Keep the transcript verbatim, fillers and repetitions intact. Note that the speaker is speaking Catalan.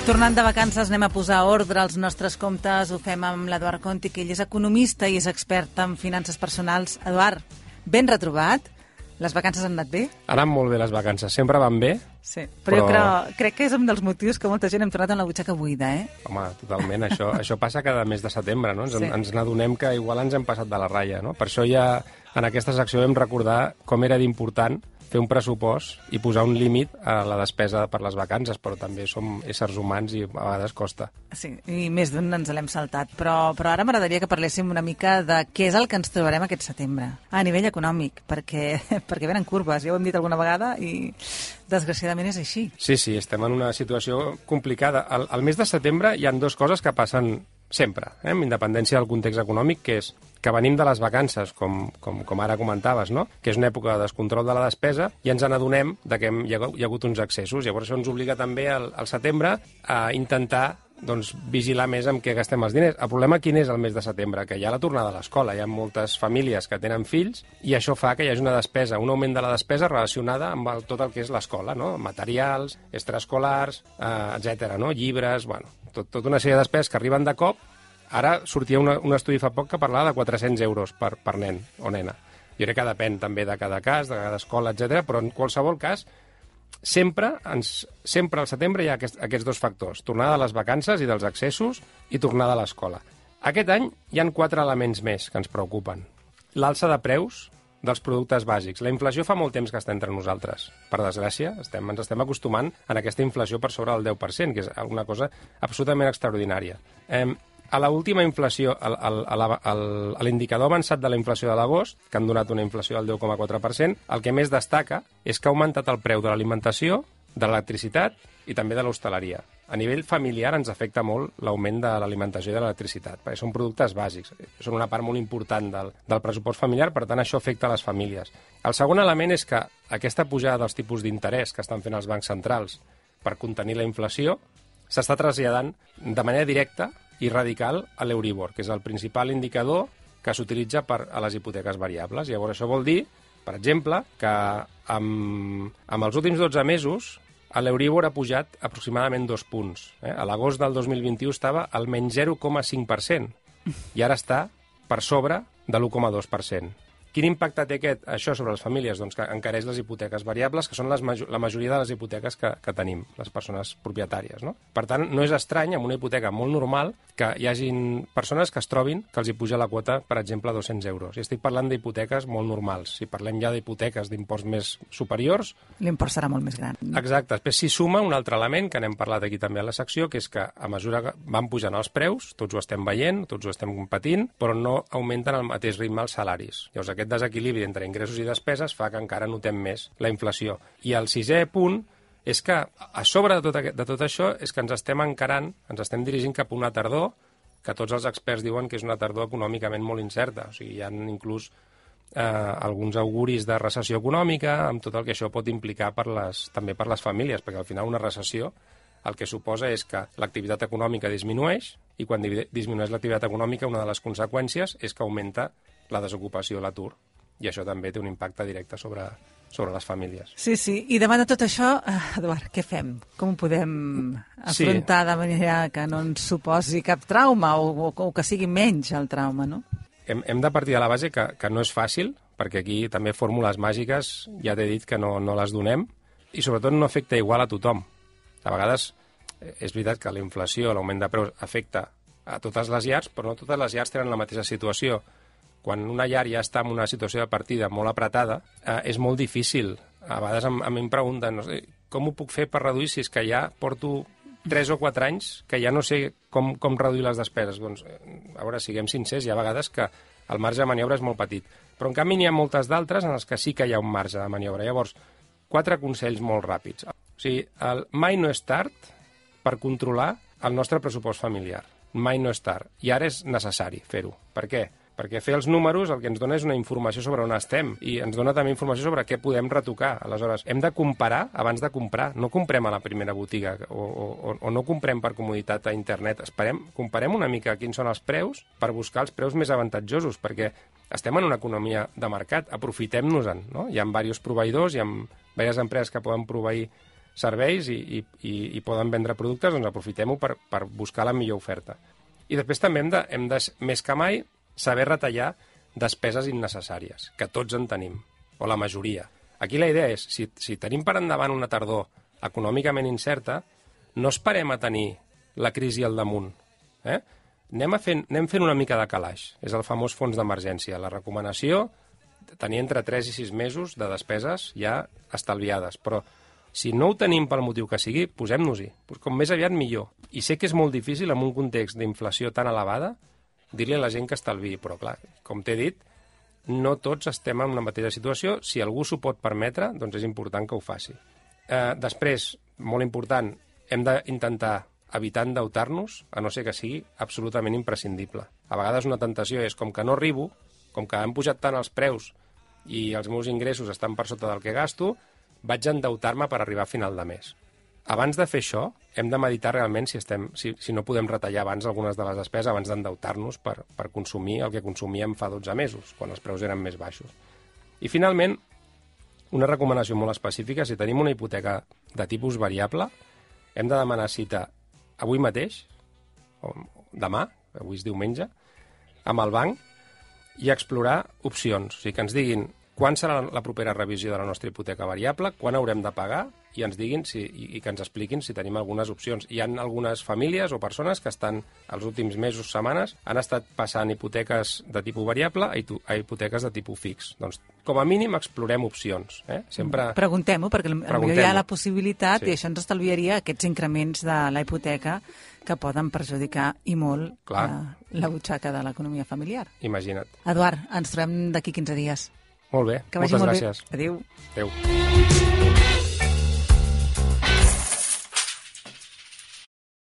Tornant de vacances anem a posar ordre als nostres comptes. Ho fem amb l'Eduard Conti, que ell és economista i és expert en finances personals. Eduard, ben retrobat. Les vacances han anat bé? Han anat molt bé les vacances, sempre van bé. Sí, però, però... jo crec, crec que és un dels motius que molta gent hem tornat amb la butxaca buida, eh? Home, totalment. Això, això passa cada mes de setembre, no? Ens, sí. ens n'adonem que igual ens hem passat de la ratlla, no? Per això ja en aquesta secció vam recordar com era d'important fer un pressupost i posar un límit a la despesa per les vacances, però també som éssers humans i a vegades costa. Sí, i més d'un ens l'hem saltat. Però, però ara m'agradaria que parléssim una mica de què és el que ens trobarem aquest setembre, a nivell econòmic, perquè, perquè venen curves, ja ho hem dit alguna vegada, i desgraciadament és així. Sí, sí, estem en una situació complicada. Al, al mes de setembre hi ha dues coses que passen sempre, eh, amb independència del context econòmic, que és que venim de les vacances, com, com, com ara comentaves, no? Que és una època de descontrol de la despesa, i ens n'adonem de que hi ha, hi ha hagut uns excessos. Llavors això ens obliga també al, al setembre a intentar doncs, vigilar més amb què gastem els diners. El problema quin és el mes de setembre? Que hi ha la tornada a l'escola, hi ha moltes famílies que tenen fills i això fa que hi hagi una despesa, un augment de la despesa relacionada amb el, tot el que és l'escola, no? Materials, extraescolars, eh, etcètera, no? Llibres, bueno, tot, tota una sèrie de despeses que arriben de cop. Ara sortia una, un estudi fa poc que parlava de quatre-cents euros per, per nen o nena. Jo crec que depèn també de cada cas, de cada escola, etcètera, però en qualsevol cas sempre, ens, sempre al setembre hi ha aquest, aquests dos factors, tornada de les vacances i dels excessos i tornada a l'escola. Aquest any hi han quatre elements més que ens preocupen. L'alça de preus dels productes bàsics. La inflació fa molt temps que està entre nosaltres. Per desgràcia, estem, ens estem acostumant a aquesta inflació per sobre del deu per cent, que és una cosa absolutament extraordinària. Eh, A l'última inflació, a l'indicador avançat de la inflació de l'agost, que han donat una inflació del deu coma quatre per cent, el que més destaca és que ha augmentat el preu de l'alimentació, de l'electricitat i també de l'hostaleria. A nivell familiar ens afecta molt l'augment de l'alimentació i de l'electricitat, perquè són productes bàsics, són una part molt important del, del pressupost familiar, per tant això afecta a les famílies. El segon element és que aquesta pujada dels tipus d'interès que estan fent els bancs centrals per contenir la inflació s'està traslladant de manera directa i radical a l'Euribor, que és el principal indicador que s'utilitza per a les hipoteques variables. Llavors això vol dir, per exemple, que amb, amb els últims dotze mesos l'Euribor ha pujat aproximadament dos punts. Eh? A l'agost del dos mil vint-i-u estava al menys zero coma cinc per cent i ara està per sobre de l'u coma dos per cent. Quin impacte té aquest, això sobre les famílies? Doncs que encareix les hipoteques variables, que són les, la majoria de les hipoteques que, que tenim, les persones propietàries, no? Per tant, no és estrany, amb una hipoteca molt normal, que hi hagin persones que es trobin que els hi puja la quota, per exemple, a dos-cents euros. I estic parlant d'hipoteques molt normals. Si parlem ja d'hipoteques d'imports més superiors... L'import serà molt més gran. Exacte. Després s'hi suma un altre element, que n'hem parlat aquí també a la secció, que és que a mesura que van pujant els preus, tots ho estem veient, tots ho estem patint, però no augmenten al mateix ritme els salaris. Llavors, aquest desequilibri entre ingressos i despeses fa que encara notem més la inflació. I el sisè punt és que, a sobre de tot, aquest, de tot això, és que ens estem encarant, ens estem dirigint cap a una tardor que tots els experts diuen que és una tardor econòmicament molt incerta. O sigui, hi ha inclús eh, alguns auguris de recessió econòmica, amb tot el que això pot implicar per les, també per les famílies, perquè al final una recessió el que suposa és que l'activitat econòmica disminueix, i quan disminueix l'activitat econòmica una de les conseqüències és que augmenta la desocupació, l'atur, i això també té un impacte directe sobre, sobre les famílies. Sí, sí, i davant de tot això, Eduard, què fem? Com ho podem afrontar sí. de manera que no ens suposi cap trauma o, o, o que sigui menys el trauma, no? Hem, hem de partir de la base que, que no és fàcil, perquè aquí també fórmules màgiques, ja t'he dit que no, no les donem, i sobretot no afecta igual a tothom. A vegades és veritat que la inflació, l'augment de preus, afecta a totes les llars, però no totes les llars tenen la mateixa situació. Quan una llar ja està en una situació de partida molt apretada, eh, és molt difícil. A vegades a, a mi em pregunten, no sé, com ho puc fer per reduir si és que ja porto tres o quatre anys que ja no sé com, com reduir les despeses? Doncs, a veure, siguem sincers, hi ha vegades que el marge de maniobra és molt petit. Però en canvi n'hi ha moltes d'altres en les que sí que hi ha un marge de maniobra. Llavors, quatre consells molt ràpids. O sigui, el mai no és tard per controlar el nostre pressupost familiar. Mai no és tard. I ara és necessari fer-ho. Per què? Perquè fer els números el que ens dona és una informació sobre on estem i ens dona també informació sobre què podem retocar. Aleshores, hem de comparar abans de comprar. No comprem a la primera botiga o, o, o no comprem per comoditat a internet. Esperem, comparem una mica quins són els preus per buscar els preus més avantatjosos, perquè estem en una economia de mercat, aprofitem-nos-en, no? Hi ha diversos proveïdors, hi ha diverses empreses que poden proveir serveis i, i, i, i poden vendre productes, doncs aprofitem-ho per, per buscar la millor oferta. I després també hem de, hem de, més que mai, saber retallar despeses innecessàries, que tots en tenim, o la majoria. Aquí la idea és, si, si tenim per endavant una tardor econòmicament incerta, no esperem a tenir la crisi al damunt. Eh? Anem, a fent, anem fent una mica de calaix. És el famós fons d'emergència. La recomanació, tenir entre tres i sis mesos de despeses ja estalviades. Però si no ho tenim pel motiu que sigui, posem-nos-hi. Com més aviat, millor. I sé que és molt difícil, en un context d'inflació tan elevada, dir-li a la gent que estalviï. Però, clar, com t'he dit, no tots estem en una mateixa situació. Si algú s'ho pot permetre, doncs és important que ho faci. Eh, després, molt important, hem d'intentar evitar endeutar-nos, a no ser que sigui absolutament imprescindible. A vegades una tentació és, com que no arribo, com que han pujat tant els preus i els meus ingressos estan per sota del que gasto, vaig endeutar-me per arribar a final de mes. Abans de fer això, hem de meditar realment si, estem, si, si no podem retallar abans algunes de les despeses abans d'endeutar-nos per, per consumir el que consumíem fa dotze mesos, quan els preus eren més baixos. I finalment, una recomanació molt específica, si tenim una hipoteca de tipus variable, hem de demanar cita avui mateix, o demà, avui és diumenge, amb el banc i explorar opcions. O sigui, que ens diguin quan serà la propera revisió de la nostra hipoteca variable, quan haurem de pagar, i ens diguin si, i, i que ens expliquin si tenim algunes opcions. Hi ha algunes famílies o persones que estan, els últims mesos, setmanes, han estat passant hipoteques de tipus variable a, a hipoteques de tipus fix. Doncs, com a mínim, explorem opcions. Eh? Sempre... Preguntem-ho, perquè potser hi ha la possibilitat, sí. I això ens estalviaria aquests increments de la hipoteca que poden perjudicar i molt la, la butxaca de l'economia familiar. Imagina't. Eduard, ens trobem d'aquí quinze dies. Molt bé, que moltes molt gràcies. Bé. Adéu. Adéu.